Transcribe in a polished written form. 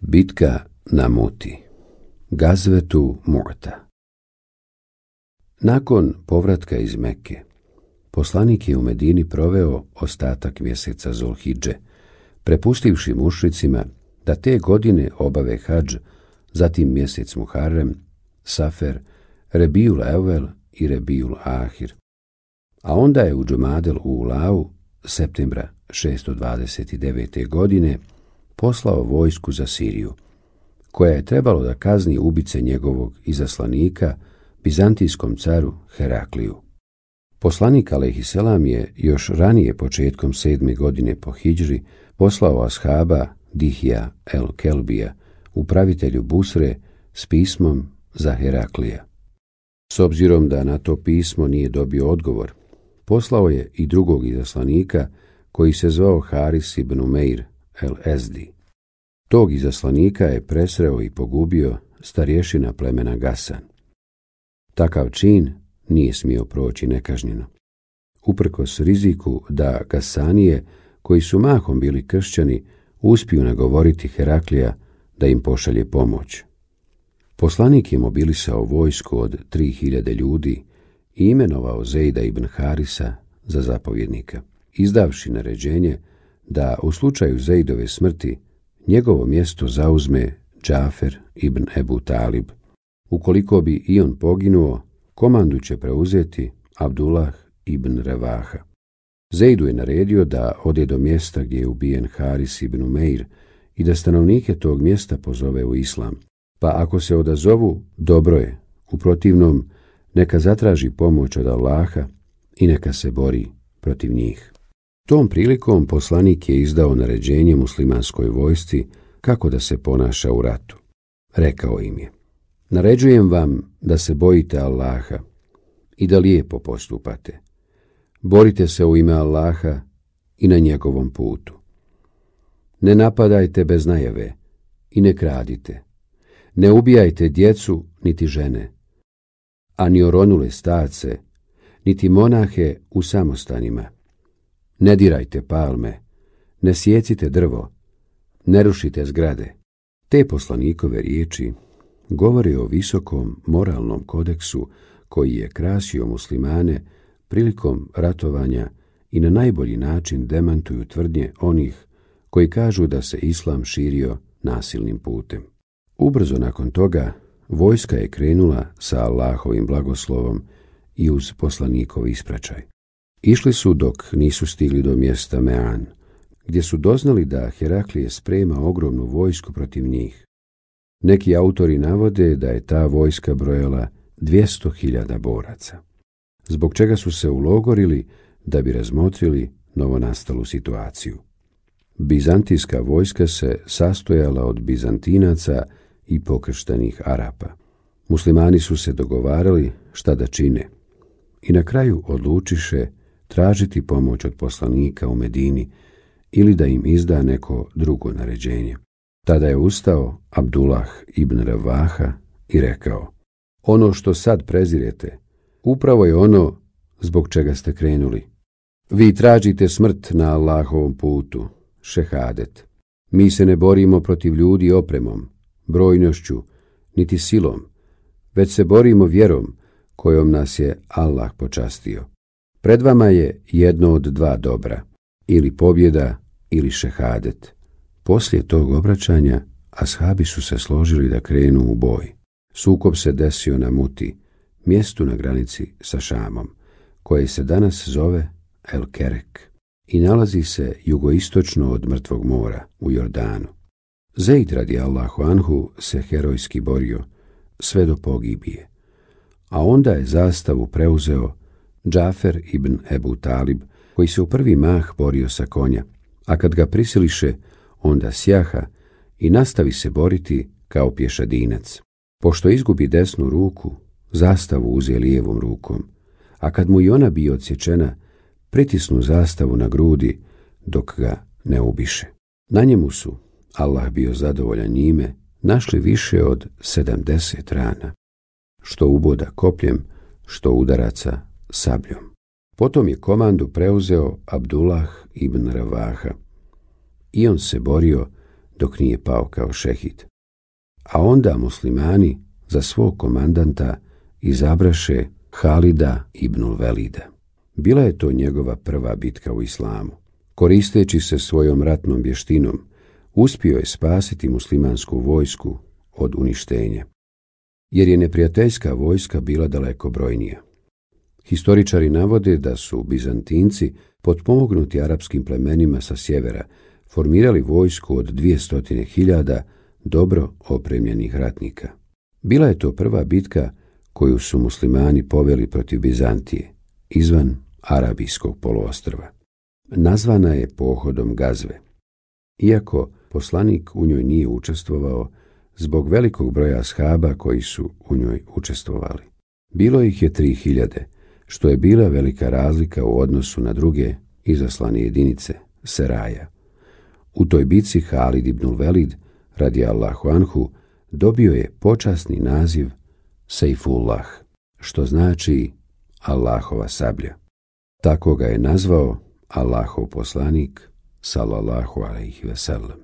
Bitka na Muti. Gazvetu Mu'ta. Nakon povratka iz Mekke, poslanik je u Medini proveo ostatak mjeseca Zulhidže, prepustivši mušricima da te godine obave hadž, zatim mjesec Muharrem, Safer, Rebijul Evvel i Rebijul Ahir. A onda je u Džumadel Ulau, septembra 629. godine, poslao vojsku za Siriju, koja je trebalo da kazni ubice njegovog izaslanika, bizantijskom caru Herakliju. Poslanik alejhiselam je još ranije, početkom 7. godine po hidžri, poslao ashaba Dihija el-Kelbija, upravitelju Busre, s pismom za Heraklija. S obzirom da na to pismo nije dobio odgovor, poslao je i drugog izaslanika koji se zvao Haris ibn Umeir el-Ezdi. Tog izaslanika je presreo i pogubio starješina plemena Gasan. Takav čin nije smio proći nekažnjeno. Uprkos riziku da Gasanije, koji su mahom bili kršćani, uspiju nagovoriti Heraklija da im pošalje pomoć. Poslanik je mobilisao vojsku od 3000 ljudi i imenovao Zejda ibn Harisa za zapovjednika, izdavši naređenje da u slučaju Zejdove smrti njegovo mjesto zauzme Džafer ibn Ebu Talib. Ukoliko bi i on poginuo, komandu će preuzeti Abdullah ibn Revaha. Zejdu je naredio da ode do mjesta gdje je ubijen Haris ibn Umeir i da stanovnike tog mjesta pozove u islam. Pa ako se odazovu, dobro je, u protivnom neka zatraži pomoć od Allaha i neka se bori protiv njih. Tom prilikom poslanik je izdao naređenje muslimanskoj vojsci kako da se ponaša u ratu. Rekao im je: naređujem vam da se bojite Allaha i da lijepo postupate. Borite se u ime Allaha i na njegovom putu. Ne napadajte bez najave i ne kradite. Ne ubijajte djecu niti žene, a ni oronule starce, niti monahe u samostanima. Ne dirajte palme, ne sjecite drvo, ne rušite zgrade. Te poslanikove riječi govore o visokom moralnom kodeksu koji je krasio muslimane prilikom ratovanja i na najbolji način demantuju tvrdnje onih koji kažu da se islam širio nasilnim putem. Ubrzo nakon toga vojska je krenula sa Allahovim blagoslovom i uz poslanikov ispraćaj. Išli su dok nisu stigli do mjesta Mean, gdje su doznali da Heraklije sprema ogromnu vojsku protiv njih. Neki autori navode da je ta vojska brojala 200.000 boraca, zbog čega su se ulogorili da bi razmotrili novonastalu situaciju. Bizantijska vojska se sastojala od Bizantinaca i pokrštenih Arapa. Muslimani su se dogovarali šta da čine i na kraju odlučiše tražiti pomoć od poslanika u Medini ili da im izda neko drugo naređenje. Tada je ustao Abdullah ibn Revaha i rekao: ono što sad prezirete, upravo je ono zbog čega ste krenuli. Vi tražite smrt na Allahovom putu, šehadet. Mi se ne borimo protiv ljudi opremom, brojnošću, niti silom, već se borimo vjerom kojom nas je Allah počastio. Pred vama je jedno od dva dobra, ili pobjeda ili šehadet. Poslije tog obraćanja ashabi su se složili da krenu u boj. Sukob se desio na Muti, mjestu na granici sa Šamom, koje se danas zove El Kerek i nalazi se jugoistočno od Mrtvog mora u Jordanu. Zejd radijallahu anhu se herojski borio sve do pogibije, a onda je zastavu preuzeo Džafer ibn Ebu Talib, koji se u prvi mah borio sa konja, a kad ga prisiliše, onda sjaha i nastavi se boriti kao pješadinac. Pošto izgubi desnu ruku, zastavu uze lijevom rukom, a kad mu i ona bi odsječena, pritisnu zastavu na grudi dok ga ne ubiše. Na njemu su, Allah bio zadovoljan njime, našli više od 70 rana, što uboda kopljem, što udaraca sabljom. Potom je komandu preuzeo Abdullah ibn Revaha i on se borio dok nije pao kao šehid. A onda muslimani za svog komandanta izabraše Halida ibnul Velida. Bila je to njegova prva bitka u islamu. Koristeći se svojom ratnom vještinom, uspio je spasiti muslimansku vojsku od uništenja, jer je neprijateljska vojska bila daleko brojnija. Historičari navode da su Bizantinci, potpomognuti arapskim plemenima sa sjevera, formirali vojsku od 200.000 dobro opremljenih ratnika. Bila je to prva bitka koju su muslimani poveli protiv Bizantije, izvan Arabijskog poluostrva. Nazvana je pohodom Gazve. Iako poslanik u njoj nije učestvovao, zbog velikog broja ashaba koji su u njoj učestvovali. Bilo ih je 3.000, što je bila velika razlika u odnosu na druge izaslane jedinice, Seraja. U toj bitci Halid ibnul Velid, radijallahu anhu, dobio je počasni naziv Sejfullah, što znači Allahova sablja. Tako ga je nazvao Allahov poslanik, sallallahu alejhi ve sellem.